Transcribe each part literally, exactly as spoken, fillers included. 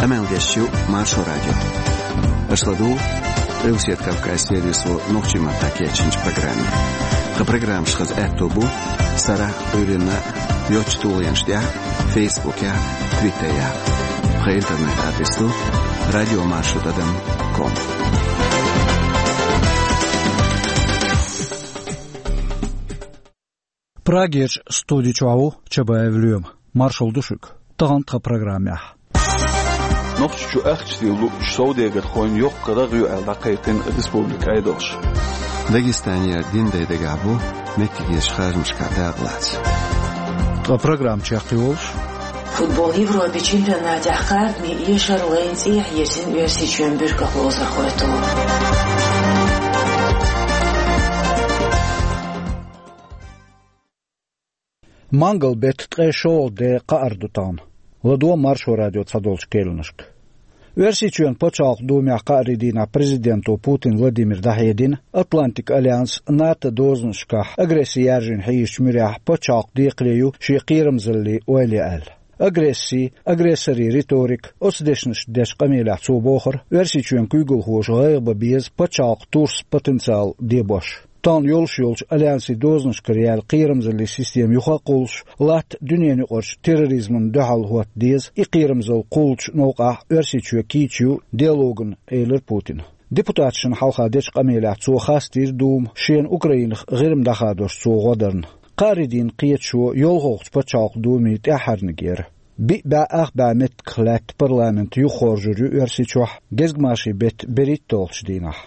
Къамел деш ю Маршо радио. Аша ладугӀу Къилбаседа Кавказ сервисо нохчийн маттахь кечйинчу программе. Тхан программаш хаза аьтто бу сарахь, Ӏуьйранна йоцчу тулгӀенаш тӀехь, Фейсбукехь, Твиттерехь. Тхан интернет-адрес ду радио маршо тӀадам ком. Прагерчу студи чохь ву Чабаев Лоьма. Маршалла ду шуьга. Тахана тхан программехь. Нохчийчу ахча тӀе луучу совдегархойн йоккха рагӀ ю аьлла дӀакхайкхина республикан Ӏедалша. Дагестанера дин дай дагахь бу меттигерчу харжамашкахь дакъа лаца. Тхан программа чекхйолуш. Футбол Европин чемпионатехь кхардаме эшар лайна цӀехьа йирзина Оьрсийчоьнан буьркалхозархой тулур. Мангал-беттан ткъе шолгӀа де кхаьар ду тахана. ЛадогӀа Маршо радион цхьадолчу керланашка. Оьрсийчоьнан Пачхьалкхан Думехь кхаарин дийнахь президенто Путин Владимира дӀахьедина, Атлантикан альянс, НАТО дозанашкахь агресси яржийна хьийзачу муьрехь пачхьалкхан декхаре ю шен кхерамзаллин ойла ян аьлла. Агресси, агрессорийн риторика, оцу дешнашца дечу къамелехь цо бохура, Оьрсийчоьнан куьйгалхоша гӀайгӀа бан беза пачхьалкхан турсан потенциал дебош. Тахана йолуш йолчу альянсийн дозанашкара яьлла кхерамзаллин система юха а кхуллуш, латта дуьненан юкъарчу терроризмана дуьхьал хӀотта деза, и кхерамзалла кхуллучу новкъахь Оьрсийчоь кийча ю диалогана, элира Путина. Депутаташна хьалха дечу къамелехь цо хастийра Дума, шена Украинах ГӀирма дӀахадош цо гӀо дарна. Кхаарин дийнан кхеташо йолхалгӀачу Пачхьалкхан Думин тӀаьххьарниг яра. Биъ бӀе ах бӀе меттигах лаьтта парламент юхахоржур ю Оьрсийчохь гезгмашин беттан берхӀитталгӀачу дийнахь.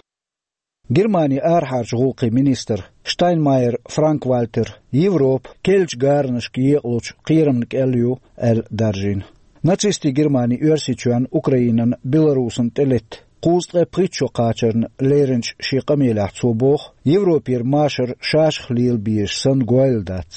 Германин арахьарчу гӀуллакхийн министр Штайнмайер Франк-Вальтера Европа керлачу гаранашка екъалучу кхерамна кӀел ю аьлла даржийна. Нацистийн Германи Оьрсийчоьнна, Украинана, Беларусана тӀелетта кхузткъе пхийтта шо кхачарна леринчу шен къамелехь цо боху, Европера машар шашах лела безаш санна гойла дац.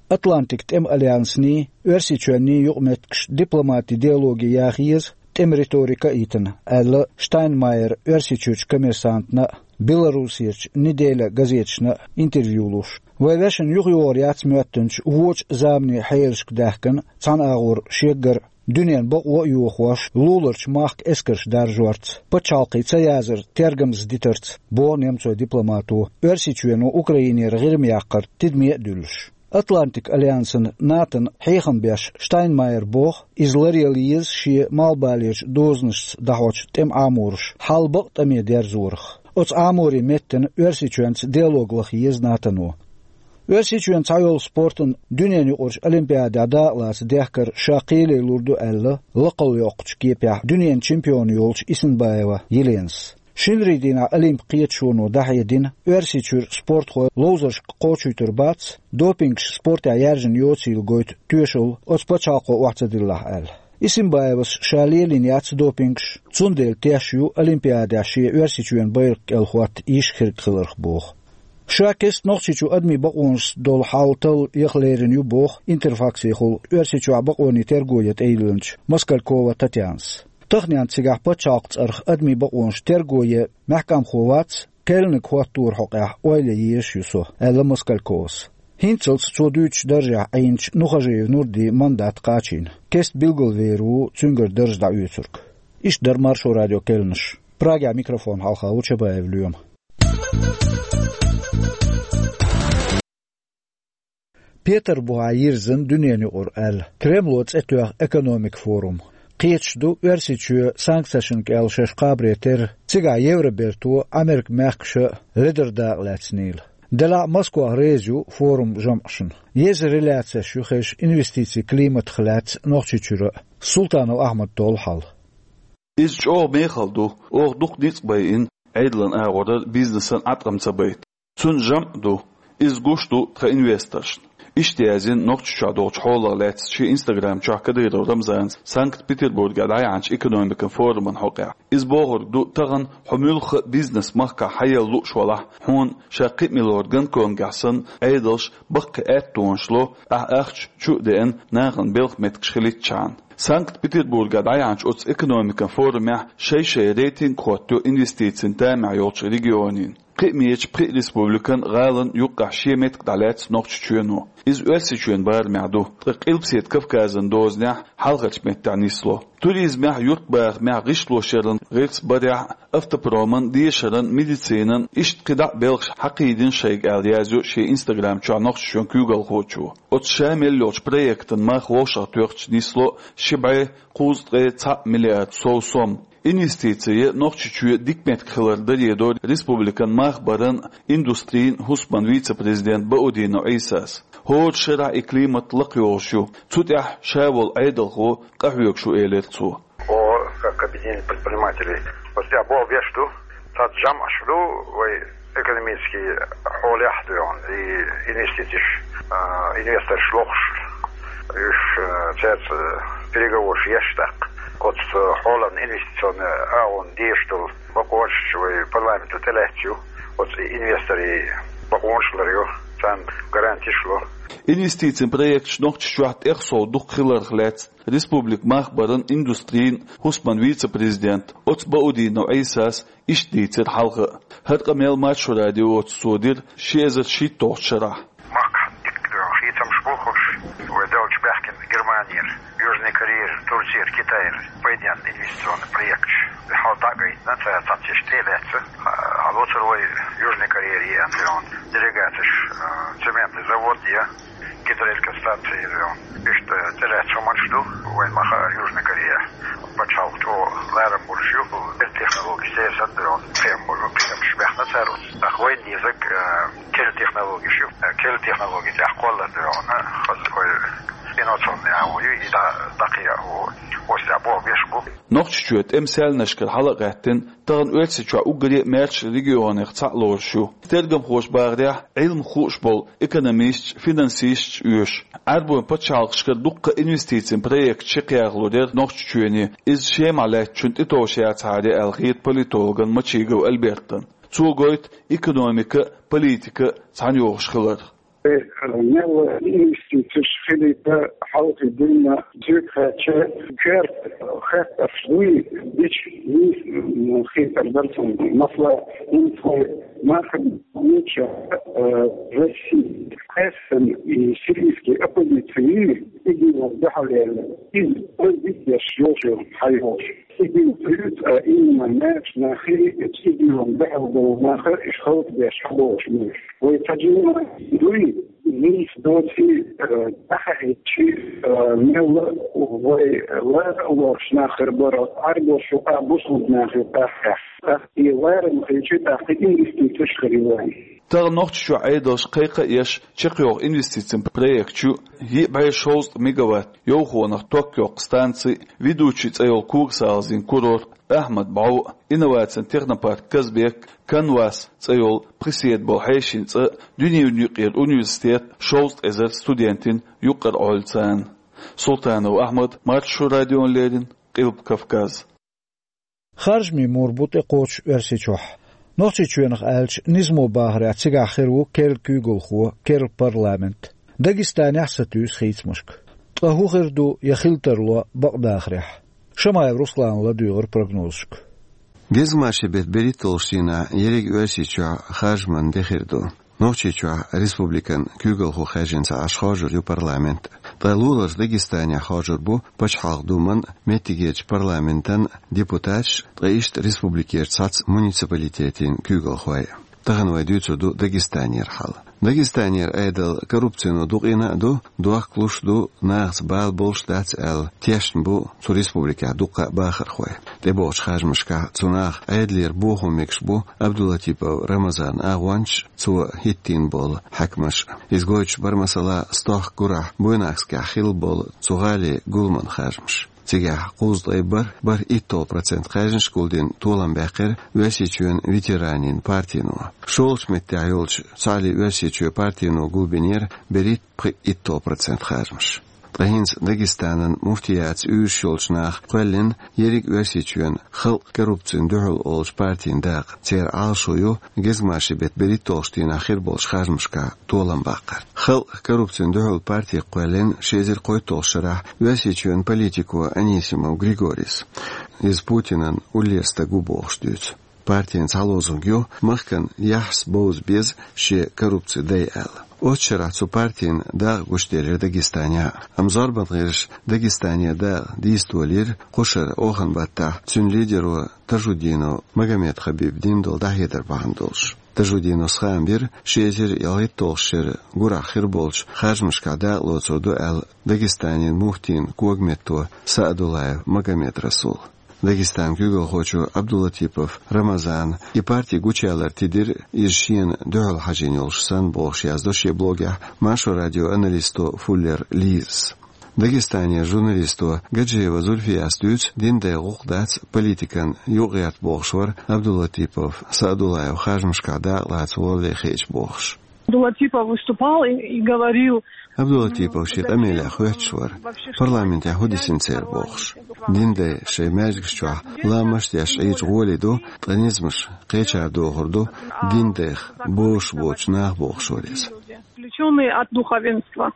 Атлантикан тӀеман альянсний, Оьрсийчоьнний юкъаметтигаш дипломатин диалоге яха еза, тӀеман риторика а йитина, аьлла Штайнмайера Оьрсийчуьрчу Коммерсантна а, Беларусерчу Неделя газеташна а интервью луш. Вайн вешина юхайогӀур яц моьттинчу вочу заманийн хьелашка даьхкина цхьана агӀор шеггара дуьненан бакъо а йохош, луларчу махка эскарш даржорца, пачхьалкхе ца язар тергамза дитарца, боху немцойн дипломато, Оьрсийчоьно Украинера ГӀирма яккхар тидаме а дуьллуш. Атлантикан альянсана, НАТОна хьехам беш Штайнмайера боху, иза ларъяла еза шен малхбалерчу дозанашца дӀахьочу тӀеман Ӏамораш хьал бакъ тӀаме дерзорах. Оцу Ӏаморийн меттана Оьрсийчоьнца диалог лаха еза НАТОно. Оьрсийчоьнан цхьайолу спортан дуьненан юкъарчу олимпиадехь дакъалаца дехкар ша кхеле лур ду аьлла, лакхалла йоккхучу кепехь дуьненан чемпион йолчу Исинбаева Еленас. Шинарийн дийнахь Олимпан кхеташоно дӀахьедина, Оьрсийчуьра спортхой ловзаршка кхочуьйтур бац, допингаш спортехь яьржина йоцийла гойту тоьшалла оцу пачхьалкхо охьа ца диллахь аьлла. Исинбаевас ша лелийна яц допингаш, цундела теш ю Олимпиадехь шен Оьрсийчоьнан байракх кӀел хӀотта йиш хирг хиларх боху. Ша кестта Нохчийчу адамийн бакъонашца долу хьал талла яха лерина ю боху Интерфаксехула Оьрсийчохь бакъонийн терго ян тӀейиллинчу Москалькова Татьянас. Таханенна цигахь пачхьалкхан цӀарах адамийн бакъонаш терго ян мехкамхо вац, керланиг хӀотторан хьокъехь ойла ян езаш ю со, аьлла Москальковас. ХӀинццалц цо дуьйцучу даржехь Ӏийначу Нухажиев Нурдин мандат кхачийна. Кеста билгалвер ву цуьнгара дарж дӀаоьцург. Иштта дара Маршо радион керланаш. Прагехь микрофон хьалха ву Чабаев Лоьма. Петарбухехь йирзина дуьненан юкъара аьлла Кремло цӀе тоьхна экономикан форум. Кхеташ ду Оьрсийчоь санкцешна кӀел шаьш кхабаре терра, цигахь Евроберто, Америкин мехкаша ледара дакъа лаьцнийла. Делахь а Москва реза ю форуман жамӀашна. Еза реляцеш ю хезаш инвестицийн климатах лаьцна Нохчийчуьра а. Султанов Ахьмада толлу хьал. Иза чӀогӀа мехала ду, оха дукха ницкъ байина Ӏедалан агӀоран, бизнесан Ӏаткъам ца байта. Цуьнан жамӀ а ду, иза гуш ду тхан инвесторшна. Иштта яздина Нохчийчохь долчу хьолах лаьцна шен Instagram чохь Кадыров Рамзана Санкт-Петербургехь дӀаяьхьначу экономикан форуман хьокъехь. Иза бохург ду, тахана хьо муьлхха а бизнес махкахь хьаелла лууш валахь, хьуна ша кхин а мила лор Гонконгехь санна Ӏедалша баккхий аьттонаш ло, ахь ахча чу а деана, нахана белхан меттигаш хилийтчхьана. Санкт-Петербургехь дӀаяьхьначу оцу экономикан форумехь шай-шай рейтинг а хӀоттайо инвестицийн тамехь йолчу регионийн. Кхиамечу пхи республикан, гӀалан юккъехь шен меттиг дӀалаьцна Нохчийчоьно. Иза Оьрсийчоьнан барамехь ду, ткъа Къилбаседа Кавказан дозанехь хьалхарчу меттехь нисло. Туризмехь, юьртбахамехь, гӀишлошъяран гӀирс барехь, автопроман, дешаран, медицинан, иштта кхидӀа а белхаш хьакхийдина шайга аьлла, язйо шен Instagram чохь Нохчийчоьнан куьйгалхочо. Оцу ша мел йолчу проектан мах вовшахтоьхча нисло ши бӀе кхузткъе цхьаъ миллиард сов сом. Инвестици я Нохчийчоь дика меттиг хилар даре дора республикан мах баран, индустрин хӀусаман вице-президент Баудинов Ӏийсас. ХӀора шарахь и климат лакхайогӀуш ю. Цу тӀехь ша волу Ӏедалхо къахьоьгуш ву, элира цо. О, как объединение предпринимателей. Вот я боху беш ду, цхьацца жамӀаш ду вай экономический хьолехь а доьгӀна, и инвестицеш, а, инвесторш лохуш, уьш, а, цаьрца переговорш еш тӀаккха. Оцу хьолан инвестиционный агӀон дезаш долу бакъонаш вай парламенто тӀелаьцна ю, оцу инвесторийн бакъонаш ларйо, царна гарантиш ло. Инвестицийн проекташ Нохчийчохь тӀех сов дукха хиларх лаьцна республикан мах баран, индустрин хӀусаман вице-президент оцу Баудинов Ӏийсас иштта дийцира хьалха а. ХӀара къамел Маршо радиоца цо дира ши эзар шийтталгӀачу шарахь. Махкахь дика хийцамаш бу хӀорш, вай долчу баьхкина Германера, Южная Корея, Турция, Китай пайденна инвестиционный проекташ. Хьал дӀа а гайтина, цара цхьацца иштта тӀе а лаьцна, хьалоцур вай Южная Корея, делегацеш, а, цементный завод я, гидроэлектростанция я. Иштта тӀелаьцна хӀуманаш ду, вайн ма хаьара, Южная Корея пачхьалкх чӀогӀа ларам болуш ю, технологиш церан санна, кхиам болу, кхиамаш баьхна цара. ТӀаккха вайн дезарг, а, керла технологиш ю, керла технологи тӀехь кхоллар дуьйхьуна, хаза вай инновационный агӀо ю, и дӀа-, дӀакхиа а ву, оцу тӀехь боху беш бу. Нохчийчоь тӀеман саьлнашкара хьала а гӀаьттина, тахана Оьрсийчохь уггаре а маьрша регионех цхьаъ лоруш ю. Тергамхоша бахарехь, Ӏилма хууш болу экономисташ, финансисташ оьшу. Ӏаьрбойн пачхьалкхашкара дуккха а инвестицийн проект шекхъяхалур яра Нохчийчоьне, иза Шемахь лаьттачунна тӀетовш яцахьара аьлла хета политологна Мачигов Альбертна. Цо гойту экономика а, политика а цхьаьна йогӀуш хилар. Э, мел инвестицеш хилийта хьалхе динна зуьйта хаьттича, коьрта хаттарш дуй, дича, м, хетар дара цунна. Масала, хӀинца вай махкахь гуча, э, Россия, кхессан и сирийский оппозиция, и динан дуьхьал яьлла, иза вай дитдеш йолчу хьайолуш. Цигахь дуьйцу, а, именно маьрша нахе, цигахь дуьхьал долу нах, уьш хӀаллакдеш хьаболуш ма ю. Вай ца жимма дуй, нийса доций, а, тӀаьхьа хӀиттича, а, мелла вай лара а лоруш нах хир бара, Ӏаьрбош юкъахь, бусулба нах юкъахь. ТӀаккха и ларам хилча, тӀаккха инвестицеш хир ю вайн. Тахана Нохчийчохь Ӏедалша кхайкха а еш, чекхйоху инвестицийн проект ю, йиъ бӀе шовзткъа мегаватт йовхонах ток йоккху станци, Ведучи цӀе йолу когасалазийн курорт, Ахьмад-бӀов, инновацийн технопарк Казбек, Канвас цӀе йолу пхи седа болу хьешийн цӀа, дуьненан юкъара университет шовзткъа эзар студентина юкъара Ӏойла царна. Султанов Ахьмад, Маршо радиона леррина, Къилба Кавказ. Харжамийн мур бу тӀекхочуш Оьрсийчохь. Нохчийчоьнах аьлча, низамо бахарехь, цигахь хир ву керла куьйгалхо, керла парламент. Дагестанехь а сатуьйсу хийцамашка. Ткъа хӀун хир ду, я хила тарло бакъдахарехь? Шамаев Руслана ладуьйгӀира прогнозашка. Гезгмашин беттан берхӀитталгӀачу дийнахь ерриг Оьрсийчохь харжаман де хир ду. Нохчийчохь республикан куьйгалхо хаьржина ца Ӏаш хоржур ю парламент. Ткъа луларчу Дагестанехь хоржур бу Пачхьалкхан Думан, меттигерчу парламентан депутаташ, ткъа иштта республикерчу цхьацца муниципалитетийн куьйгалхой. Тахана вай дуьйцур ду Дагестанера хьал. Дагестанера Ӏедал коррупцино дукъийна а ду, дохкалуш а ду, нахаца бала болуш а дац аьлла, тешна бу цу республикехь дуккха а бахархой. ТӀебогӀучу харжамашкахь цу наха Ӏедалера бохо мегаш бу Абдулатипов Рамазанан агӀончаш, цо хӀиттийна болу хьаькамаш. Иза гойтуш бара, масала, стохка гурахь Буйнакскехь хилла болу цу гӀалин гуламан харжамаш. Цигахь кхузткъе бархӀ, бархӀ итталгӀа процент кхаьжнаш гулдина толам баьккхира Оьрсийчоьнан ветеранийн партино. ШолгӀачу меттехь йолчу Цхьааллин Оьрсийчоь партино гулбинера берхӀитта, пхиъ итталгӀа процент харжамаш. Ткъа хӀинца Дагестанан муфтияца уьйраш йолчу наха кхоьллина ерриг Оьрсийчоьнан «Халкъ коррупцина дуьхьал» олучу партин дакъа. Церан Ӏалашо ю гезгмашин беттан берхӀитталгӀачу дийнахь хир болчу харжамашкахь толам баккхар. «Халкъ коррупцина дуьхьал» парти кхоьллина ши эзар кхойтталгӀачу шарахь Оьрсийчоьнан политико Анисимов Григорис. Иза Путинан уллера стаг ву бохуш дуьйцу. партин цхьа лозунг ю: «Махкан яхьас бовза беза шен коррупци дай», — аьлла. Оцу шарахь цу партин дакъа гучуделира Дагестане. Амма зорбан гӀирсаша Дагестане дакъа дийца долийра кху шарахь охан баттахь цуьнан лидеро Тажуддинов Магомед-Хабиба дина долу дӀахьедар бахьана долуш. Тажуддиновс хаам бира ши эзар ялхитталгӀа шеран гурахь хир болчу харжамашкахь дакъа лоцур ду аьлла Дагестанан муфтин когаметто Саадуллаев Магомедрасула. Дагестанан куьйгалхочо Абдулатипов Рамазана и парти гучуялар тидира иза шена дуьхьал хьажийна йолуш санна, бохуш яздо шен блогехь Маршо радион аналисто Фуллер Лизас. Дагестанера журналисто Гаджиева Зульфияс дуьйцу, динан дай гӀуллакх дац политикан юкъагӀерта бохуш вара Абдулатипов Саадуллаев харжамашкахь дакъа лаца валле хиъча бохуш. Абдулатипов выступал и, и говорил. Абдулатипов шен къамелехь хоьттуш вара, парламентехь хӀун дисина церан бохуш. Динан дай шайн маьждигаш чохь ламазаш деш Ӏийча гӀоле ду, ткъа низамаш кхечара дохур ду динан дайх бозуш боцчу наха, бохуш вара иза. Отвлечённые от духовенства.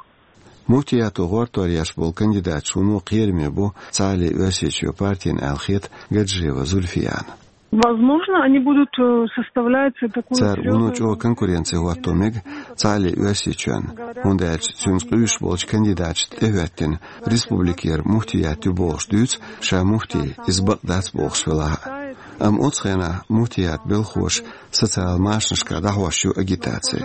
Муфтиято гӀортор еш болу кандидаташ вуно кхераме бу Цхьааллин Оьрсийчоь партина аьлла хета Гаджиева Зульфияна. Возможно, они будут, э, составлять такую серьёзную... Цара вуно чӀогӀа конкуренци хӀотто мега Цхьааллин Оьрсийчоьнна, хӀунда аьлча цуьнца къуьйсуш болчу кандидаташна тӀехӀоьттина республикера муфтият ю бохуш дуьйцу, ша муфти иза бакъ дац бохуш велахь а. Амма оцу хенахь муфтият белхахоша социал машанашкахь дӀахьош ю агитаци.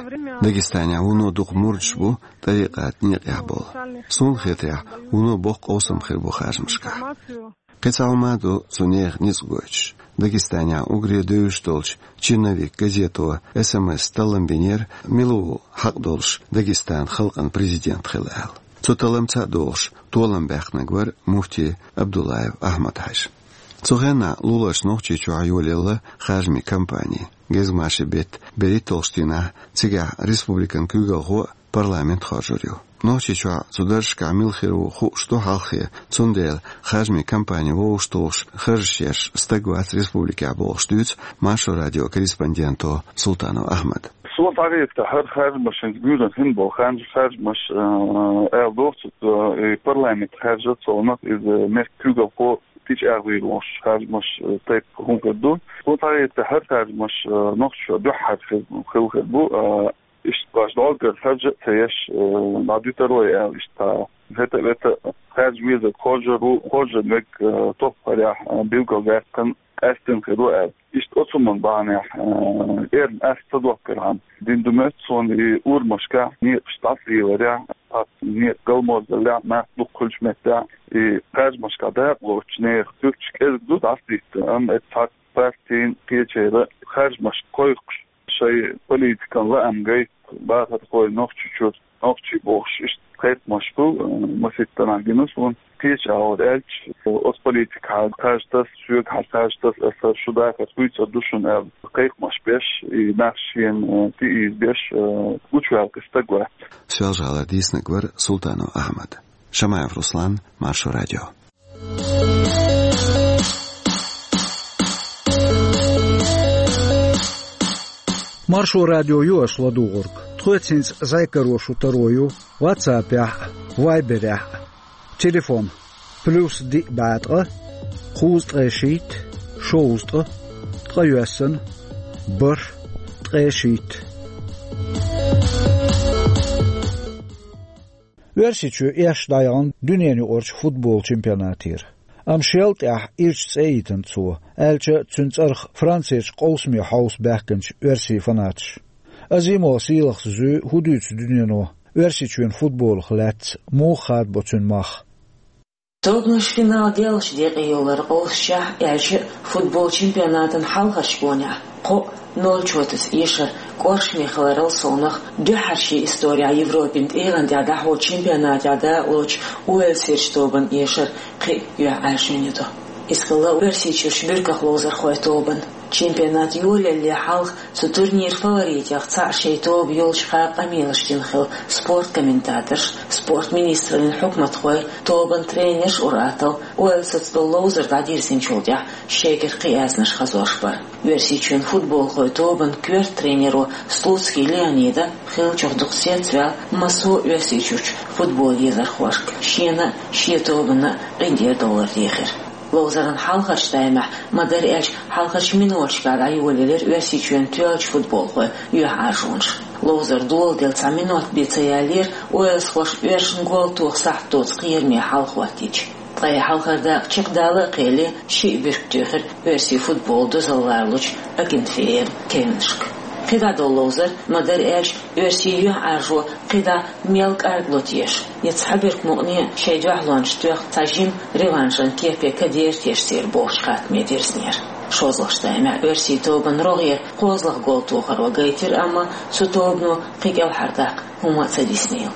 Дагестанехь вуно дукха мурдаш бу тӀарикъат некъехь болу. Суна хетарехь, вуно боккха къовсам хир бу харжамашкахь. Кхин цхьа хӀума ду цу нехан ницкъ гойтуш. Дагестанехь уггаре девзаш долчу «Черновик» газето эс эм эс таллам бинера, мила ву хьакъ долуш Дагестанан халкъан президент хила аьлла. Цу талламца а догӀуш, толам баьккхинарг вара муфти Абдуллаев Ахьмад-Хьаьжа. Цу хенахь луларчу Нохчийчохь йолаелла харжамийн кампани. Гезгмашин беттан берхӀитталгӀачу дийнахь цигахь республикан куьйгалхо а, парламент а хоржур ю. Нохчийчохь цу даржашкахь мила хир ву хууш ду хьалххе, цундела харжамийн кампани вовшахтухуш харжаш еш стаг вац республикехь бохуш дуьйцу Маршо радион корреспонденто Султанов Ахьмада. Суна схьахетарехь, хӀара харжамашна гуьйранна хин болу харж-, харжамаш, э, аьлла доху цо, э, и парламент харжа совнах иза мехкан куьйгалхо тӀечӀагӀвийр волуш харжамаш, э, тайпа хӀума хир ду. Суна схьахетарехь, хӀара харжамаш, э, Нохчийчохь дуьххьара хир, хилла хир бу, э, иштта баш долгар харжа а ца еш, э, дӀадуьтур вай аьлла, иштта хӀета а, вета а харжа везарг хоржур ву, хоржур верг, э, топпарехь, э, билгалдаьккхина, къаьстина хир ву аьлла. Иштта оцу хӀуманна бахьанехь, э, эрна ас ца доккхархьама, дина ду моьтту суна и урамашкахь некъаш дӀасалеларехь, цхьацца некъ галморзаллехь, нах дукха хуьлучу меттехь, и харжамашкахь дакъа лоцучу нехан суьрташ кӀезиг ду дӀасадитта, амма эцу цхьацца партийн кхечеран харжамаш кхойкхуш, шайн политикан лаам гайта бахархой Нохчийчуьра, нохчий бохуш, иштта кхайкхамаш бу, э, масийттанхьа гина суна. Кхечу агӀор аьлча, оцу политикехь харжа таса, соьгахь харжа таса, аса шу дахар хуьйцур ду шуна аьлла, кхайкхамаш беш, и нах шена, э, тӀеийза беш, э, гучуваьлла кхин стаг вац. Соьлжа-ГӀалара дийцинарг вара Султанов Ахьмад. Шамаев Руслан, Маршо радио. Маршо радио ю аша ладугӀург. Тхоьца хӀинца зӀе каро шу таро ю WhatsApp-ехь а, Viber-ехь а. Телефон: плюс диъ бӀе ткъа, кхузткъе шийтта, шовзткъа, ткъайоьсна, бархӀ, ткъе шийтта. Оьрсийчоь эшна дӀаяхана дуьненаюкъарчу футбол чемпионатера. Амма шел тӀехь ирча цӀе йитина цо, аьлча а цуьнан цӀарах Францерчу къовсаме хьовса баьхкинчу оьрсийн фанаташа. Азимова Сийлахьас зуьй, хӀун дуьйцу дуьнено Оьрсийчоьнан футболах лаьцна, муха хадабо цуьнан мах. Тобанаш финал деллачу декъе йоллар къовсучехь, аьлча а футбол чемпионатан хьалхарчу гонехь кхоъ ноль чотаца эшар кӀоршаме хиларал совнах, дуьххьара шен историяхь Европин тӀегӀан тӀехь дӀахьочу чемпионатехь дакъалоцучу Уэльсерчу тобанан эшар кхин а юьхьӀаьржина ю. Иза хилла Оьрсийчуьрчу буьрках ловзархойн тобанан. Чемпионат йолаялале хьалха цу турниран фаворитех цхьаъ шайн тоба йолчу хаа къамелаш дина хилла спорт комментаторш, спорт министраллин хьукматхой, тобанан тренерш ур-атталла Уэльсаца долу ловзар дӀадирзинчул тӀаьхьа шайгара кхин аьзнаш хазош бара. Оьрсийчоьнан футболхойн тобанан коьрта тренеро Слуцкий Леонида хиллачух дукха цецваьлла массо а Оьрсийчуьрчу футбол езархошка, шена а, шен тобанна а къинтӀера довлар дехира. Ловзаран хьалхарчу таймехь, ма-дарра аьлча, хьалхарчу миноташкахь дӀайолаелира Оьрсийчоьнан тоьллачу футболхойн юьхьӀаьржонаш. Ловзар доладелла цхьа минот бен ца яллера уэльсхоша оьрсашна гол тоха сахьт доцу кхераме хьал хӀоттийча. Ткъа и хьалхара дакъа чекхдала а кхелле, шиъ буьрка туьйхира оьрсийн футболан дозалла лоруш Акинфеев Кевинашка. КхидӀа долу ловзар, ма-дарра аьлча, оьрсийн юьхьӀаьржо кхидӀа мел кӀаргло теша, я цхьа буьрка мукъане шайн дуьхьалончашна тоьхна цхьа жима реваншан кепе кадера теша церан бохучу хаттаме дирзинера. ШозлагӀчу таймехь оьрсийн тобанан рогӀера кхозлагӀа гол тохаро гайтира, амма цу тобано кхин кӀелхьардаккха хӀума а ца диснийла.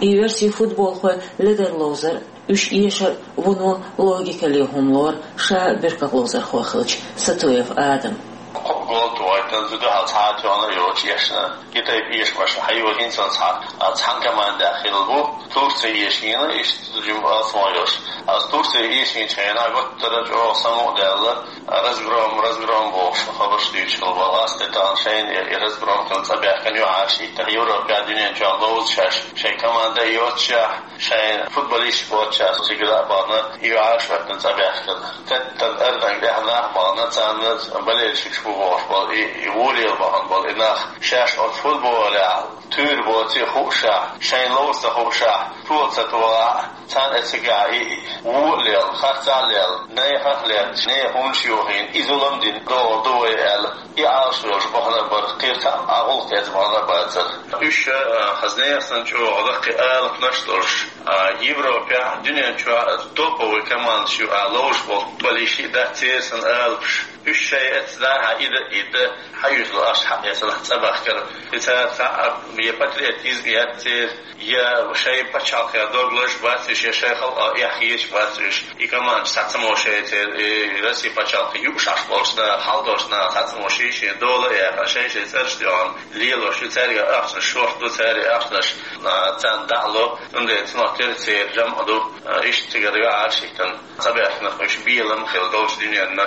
И оьрсийн футболхой ледара ловзар, уьш эшар вуно логикале хӀума лору ша буьркаловзархо хилча Сатуев Адам. Кхо гол тохийтина, зуда хьал цхьа а тоьхна йоцуш эшна. И тайпа эшамаш хьайо хӀинца цхьа, а, цхьана командехь хилла бу. Турция эшийна, иштта жима алсам йолуш. Аса Турция эшийначу хенахь гуттара а чӀогӀа самукъадаьлла, разгром, разгром бохуш хабарш дуьйцуш хилла бу. Аса тӀе тахана шайна и, и разгром хилла цӀа баьхкина юьхьӀаьржа хӀиттина. Европехь, дуьнен чохь ловза шаьш, шайн команда а йоццушехь, шайн футболисташ боццушехь, цигара а бахана, юьхьӀаьржа хӀоьттина цӀа баьхкина. Теттан арданга тӀехь нах а бахана, царна болельщикаш бу бохуш болу, и, и вон лела бахана болу и нах, шаьш оцу футболехь туьйр боций а хуушехь, шайна ловза ца хуушехь, тола ца тохахь, царна и цигахь и, и вон а лела, харцахь а лела, нехан а лаьтташ, нехан хӀуманаш йохийна, и зулам дина догӀур ду вай аьлла, и Ӏалашвелларш бахана а бара, кхин цхьа а гӀуллакх эцна бахана а бацара. Уьш, а, хаза нехан санна чӀогӀа лаккхий алапанаш а долуш, а, Европехь, дуьнен чохь топовый командаш ю аьлла ловзуш болу футболисташ а дац церан санна алапаш. Уьш шайн эцна дӀа а хьан ида а ида, хьан юьзлу аша хьан эцна цӀа бахкара. И цара цхьа а я патриотизм яц церан, я шайн пачхьалкхе дог лозуш бац уьш, я шайн халкъах эхь хеташ бац уьш. И командаш цхьа ца мо шайн церан, и Россия пачхьалкхе юуш Ӏаш болчу наха, хьал долчу наха цхьа ца мо шен-шен дола а яьккхина, шайн-шайн цӀераш а доьхна лелош ю, цаьрга ахчанаш шорта ду, цаьрга ахчанаш, а, царна дӀа а ло, цундела цунах тера церан жамӀ а ду, а, иштта цигара юьхьӀаьржа хӀиттина, цӀа баьхкинарг уьш белам а хилла долчу дуьненна.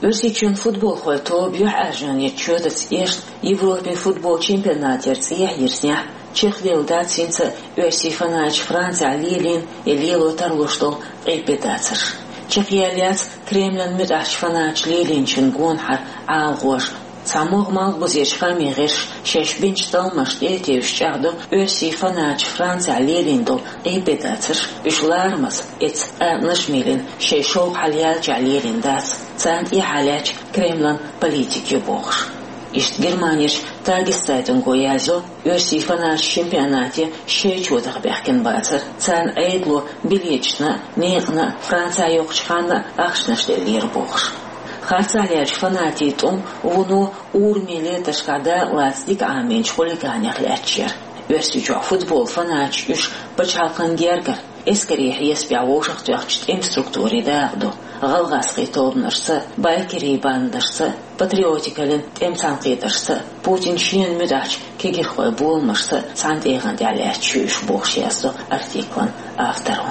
Оьрсийчоьнан футболхойн тоба юьхьӀаьржонан чоьтаца эшна Европин футбол чемпионатера цӀехьа йирзинехь, чекхъяьлла дац хӀинца а оьрсийн фанаташа Францехь лелийна я лело тарлуш долу къепедацарш. Чекхъяьлла яц Кремлан муьтӀахьчу фанаташа лелийначун гонахьара Ӏаламхоша. Цхьа могӀа малхбузерчу хаамийн гӀирсаша шаьш бинчу талламашна тӀе а тевжаш чӀагӀдо, оьрсийн фанаташа Францехь лелийна долу къепедацарш, уьш ларамаза, эцца къаьркъанаш а мелина, шайн шовкъ хьалаяьллачохь лелийна дац, царна тӀехьа лаьтташ Кремлан политика ю бохуш. Иштта Германерчу Тагес-Цайтунго яздо, оьрсийн фанаташ чемпионате шайн чотах баьхкина бацара, царна Ӏедало билеташна а, некъана а Францехь йоккхучу ханна а ахчанаш деллера бохуш. Харцахь лелачу фанатийн тӀом вуно урамийн летаршкахь дакъалаца дика Ӏамийначу хулиганех лаьтташ яра. Оьрсийчохь футбол фанаташ уьш пачхьалкхан гергара, эскарийн хьесапехь вовшахтоьхначу тӀеман структурийн дакъа ду, гӀалгӀазкхийн тобанашца а, байкерийн бандашца а, патриотикаллин тӀеман цхьаьнакхетаршца а, Путинан шена муьтӀахьчу кегирхойн боламашца а цхьана тӀегӀан тӀехь лаьтташ ю уьш бохуш яздо артиклан авторо.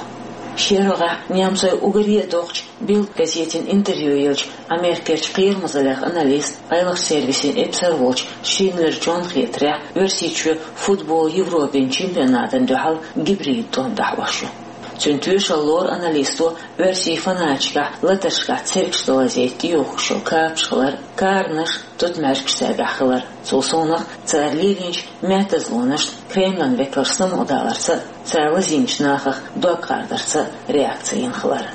Шен рогӀехь немцойн уггаре а доккхачу Билд газетина интервью еллачу Америкерчу кхерамазаллех аналист, къайлахчу сервисийн эпсар волчу Шиндлер Джонна хетарехь, Оьрсийчоь футбол Европин чемпионатана дуьхьал гибрид тӀом дӀахьош ю. Цуьнан тоьшалла лору аналисто оьрсийн фанаташкахь латаршкахь цергаш ца лазийта тӀеюхкуш йолу капаш хилар, каранаш, тутмаьжгаш цаьргахь хилар, цул совнаха цара лелийначу меттазлонашна Кремлан векалш самукъадаларца а, цара лазийначу нахах дог кхардарца а реакци йина хилар.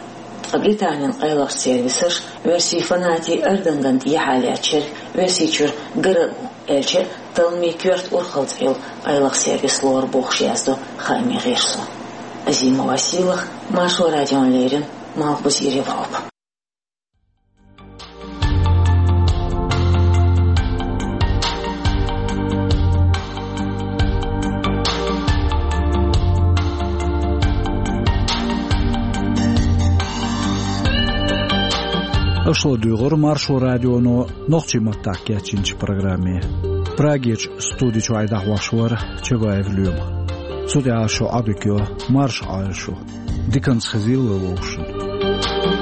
Ткъа Британин къайлахчу сервисаша оьрсийн фанатийн ардангана тӀехьа лаьттачу шерга Оьрсийчуьра гара а ву, аьлча а талламийн коьрта урхалла цӀе йолу къайлаха сервис лору бохуш яздо хаамийн гӀирсо. Азимова Сийлаха, Маршо радиона леррина, Малхбузера Европа. Аша ладуьйгӀира Маршо радионо нохчийн маттахь кечйинчу программе. Прагерчу студи чуьра дӀахьош вара Чабаев Лоьма. Цу тӀехь шу Ӏадика йо, марша Ӏойла шу. Диканца хезийла вовшашна.